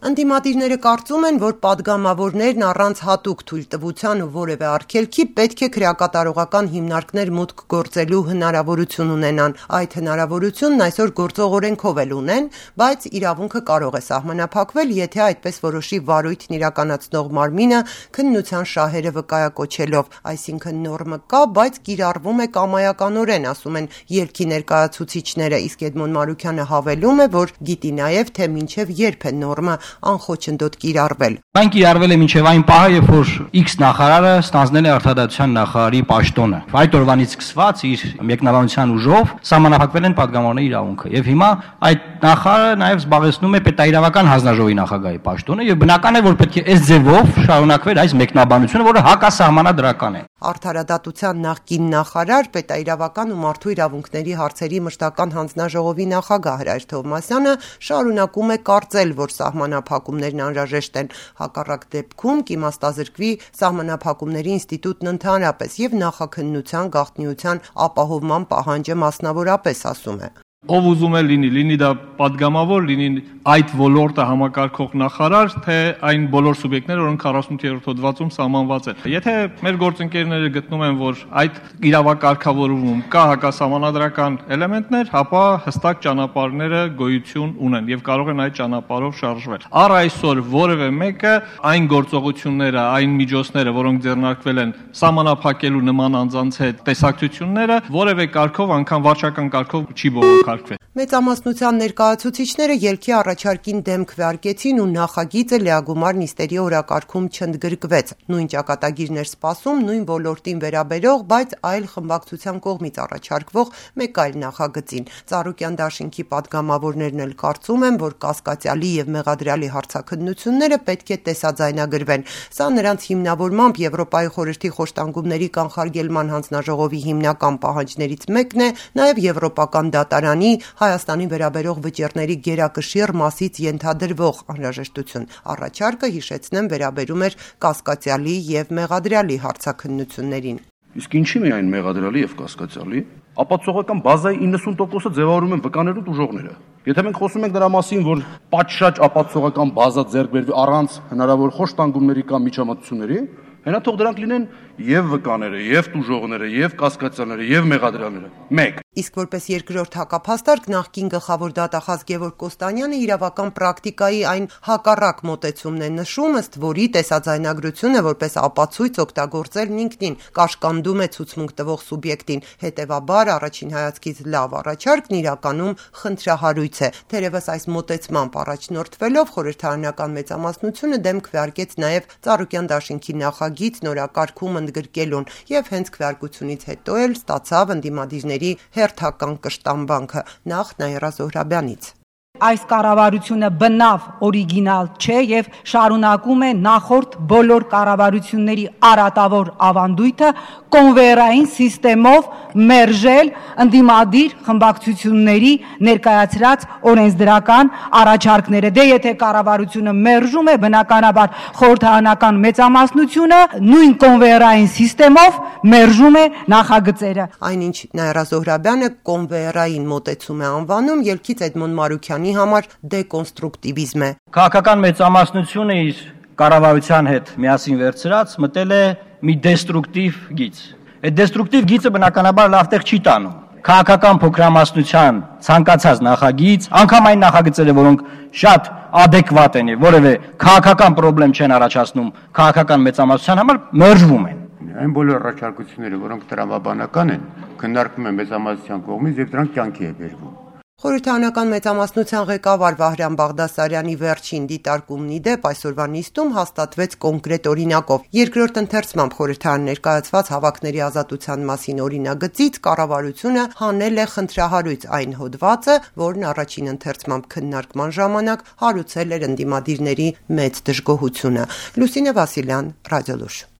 Ընդդիմադիրները կարծում են, որ պատգամավորներն առանց հատուկ թույլտվության ու որևէ արգելքի պետք է քրեակատարողական հիմնարկներ մուտք գործելու հնարավորություն ունենան։ Այդ հնարավորությունն այսօր գործող օրենքով էլ ունեն, բայց իրավունքը կարող է սահմանափակվել, եթե այդպես որոշի վարույթն իրականացնող մարմինը քննության շահերը վկայակոչելով, այսինքն նորմը կա, բայց կիրառվում է կամայականորեն, ասում են ելքի ներկայացուցիչները, իսկ Էդմոն Մարուքյանը հավելում է, որ գիտի նաև, թե մինչև երբ է նորմը անխոչնդոտ կիրառվել։ Այն կիրառվել է մինչև այն պահը, երբ որ X նախարարը ստանձնել է արտադրության նախարարի պաշտոնը։ Այդ օրվանից սկսված իր մեկնաբանության ուժով սահմանափակվել են պատգամավորների իրավունքը։ Եվ հիմա այդ նախարարը նաև զբաղեցնում է պետաիրավական հանձնաժողովի նախագահի պաշտոնը, եւ բնական է, որ պետք է այս ձևով շարունակվեր այս մեկնաբանությունը, որը հակասահմանադրական է։ Արդարադատության նախկին նախարար, պետաիրավական ու մարդու իրավունքների հարցերի մշտական հանձնաժողովի նախագահ Հրայր Թովմասյանը շարունակում է կարծել, որ սահմանափակումներն անհրաժեշտ են, հակառակ դեպքում կիմաստազրկվի սահմանափակումների ինստիտուտն ընդհանրապես եւ նախաքննության գաղտնիության ապահովման պահանջը մասնավորապես, ասում է։ Ով ուզում է լինի դա պատգամավոր, լինի այդ ոլորտը համակարգող նախարար, թե այն բոլոր սուբյեկտները, որոնք 48-րդ հոդվածում սահմանված են։ Եթե մեր գործընկերները գտնում են, որ այդ իրավակարգավորումում կա հակասահմանադրական էլեմենտներ, ապա հստակ ճանապարհները գոյություն ունեն եւ կարող են այդ ճանապարհով շարժվել։ Առ այսօր որևէ մեկը այն գործողությունները, այն միջոցները, որոնք ձեռնարկվել են սահմանափակելու նման անձանց հետ տեսակցությունները, որևէ կարգով, անգամ վարչական կարգով չի բողոքարկվել։ Մեծամասնության ներկայացուցիչները ելքի առաջարկին դեմ քվեարկեցին ու նախագիծը լիագումար նիստերի օրակարգում չընդգրկվեց։ Նույն ճակատագիրն էր սպասում նույն ոլորտին վերաբերող, բայց այլ խմբակցության կողմից առաջարկվող մեկ այլ նախագծին։ Ծառուկյան դաշինքի պատգամավորներն էլ կարծում են, որ կասկածյալի եւ մեղադրյալի հարցաքննությունները պետք է տեսաձայնագրվեն։ Սա նրանց հիմնավորմամբ Եվրոպայի խորհրդի խոշտանգումների կանխարգելման հանձնաժողովի հիմնական պահանջներից մեկն է, նաեւ Եվրոպական դատարանի Հայաստանին վերաբերող վճիռների գերակշիռ մասից ենթադրվող անհրաժեշտություն։ Առաջարկը, հիշեցնեմ, վերաբերում էր կասկածյալի եւ մեղադրյալի հարցաքննություններին։ Իսկ ինչի՞ միայն մեղադրյալի եւ կասկածյալի, ապացուցողական բազայի 90%-ը ձևավորում են վկաներու ուժողները։ Եթե մենք խոսում ենք դրա մասին, որ պատշաճ ապացուցողական բազա ձեռք բերվի առանց հնարավոր խոշտանգումների կամ միջամտությունների, հենա թող դրանք լինեն եւ վկաները, եւ տուժողները, եւ կասկածյալները, եւ մեղադրյալները։ 1. Իսկ որպես երկրորդ հակափաստարկ նախկին գլխավոր դատախազ Գևորգ Կոստանյանը իրավական պրակտիկայի այն հակառակ մոտեցումն է նշում, ըստ որի տեսաձայնագրությունը որպես ապացույց օգտագործելն ինքնին կաշկանդում է ցուցմունք տվող սուբյեկտին։ Հետևաբար առաջին հայացքից լավ առաջարկն իրականում խնդրահարույց է։ Թերևս այս մոտեցմամբ առաջնորդվելով խորհրդարանական մեծամասնությունը դեմ քվեարկեց նաև Ծառուկյան դաշինքի նախագիծ նորակարգում ընդգրկելուն եւ հենց քվեարկությունից հետո էլ ստացավ ընդդիմադիրների հերթական կշտամբանքը նախ Նաիրա Զոհրաբյանից։ Այս կառավարությունը բնավ օրիգինալ չէ եւ շարունակում է նախորդ բոլոր կառավարությունների արատավոր ավանդույթը կոնվեյերային սիստեմով մերժել ընդդիմադիր խմբակցությունների ներկայացրած օրենսդրական առաջարկները։ Դե եթե կառավարությունը մերժում է, բնականաբար խորհրդարանական մեծամասնությունը նույն կոնվեյերային սիստեմով մերժում է նախագծերը։ Այնինչ Նաիրա Զոհրաբյանը կոնվեյերային մոտեցում է անվանում, ելքից Էդմոն Մարուքյանի համար դեկոնստրուկտիվիզմ է։ Քաղաքական մեծամասնությունը իր կառավարության հետ միասին վերցրած մտել է մի դեստրուկտիվ գիծ։ Այդ դեստրուկտիվ գիծը բնականաբար լավ տեղ չի տանում։ Քաղաքական փոքրամասնության ցանկացած նախագիծ, անգամ այն նախագծերը, որոնք շատ adekvat են եւ որևէ քաղաքական խնդրեմ չեն առաջացնում քաղաքական մեծամասնության համար, մերժվում են։ Այն բոլոր առաջարկությունները, որոնք տրամաբանական են, քննարկվում են մեծամասնության կողմից եւ դրանք կյանքի է բերվում։ Խորհրդարանական մեծամասնության ղեկավար Վահրամ Բաղդասարյանի վերջին դիտարկումն ի դեպ այսօրվա նիստում հաստատվեց կոնկրետ օրինակով։ Երկրորդ ընթերցմամբ խորհրդարան ներկայացված հավաքների ազատության մասին օրինագծից կառավարությունը հանել է խնդրահարույց այն հոդվածը, որն առաջին ընթերցմամբ քննարկման ժամանակ հարուցել էր ընդդիմադիրների մեծ դժգոհությունը։ Լուսինե Վասիլյան, Ռադիոլուր։